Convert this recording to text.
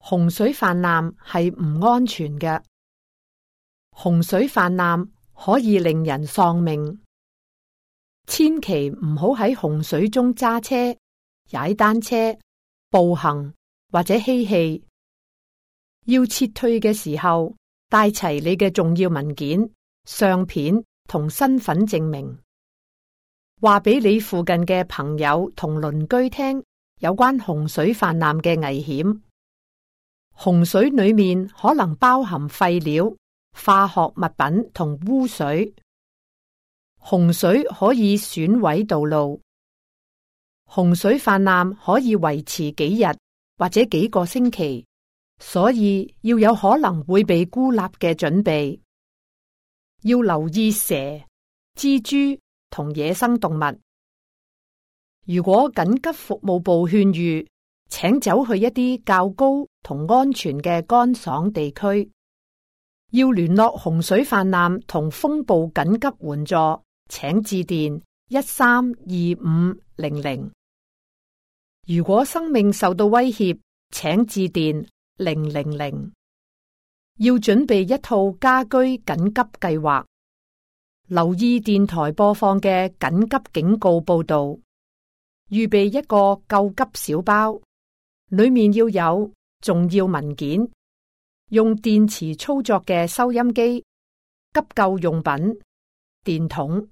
洪水泛濫係唔安全嘅。洪水泛濫可以令人喪命，千祈唔好喺洪水中揸車、踩單車、步行或者嬉戲。要撤退嘅時候，帶齊你嘅重要文件、相片同身份證明，話俾你附近嘅朋友同鄰居聽有關洪水泛濫嘅危險。洪水裏面可能包含廢料、化學物品同污水。洪水可以損毀道路。洪水泛濫可以維持幾日或者幾個星期，所以要有可能會被孤立嘅準備。要留意蛇、蜘蛛同野生動物。如果緊急服務部勸喻，請走去一啲較高同安全嘅乾爽地區。要聯絡洪水泛濫同風暴緊急援助，請致電132500。如果生命受到威脅，請致電000。要準備一套家居緊急計劃，留意電台播放嘅緊急警告報導，預備一個救急小包，裡面要有重要文件、用電池操作嘅收音機、急救用品、電筒、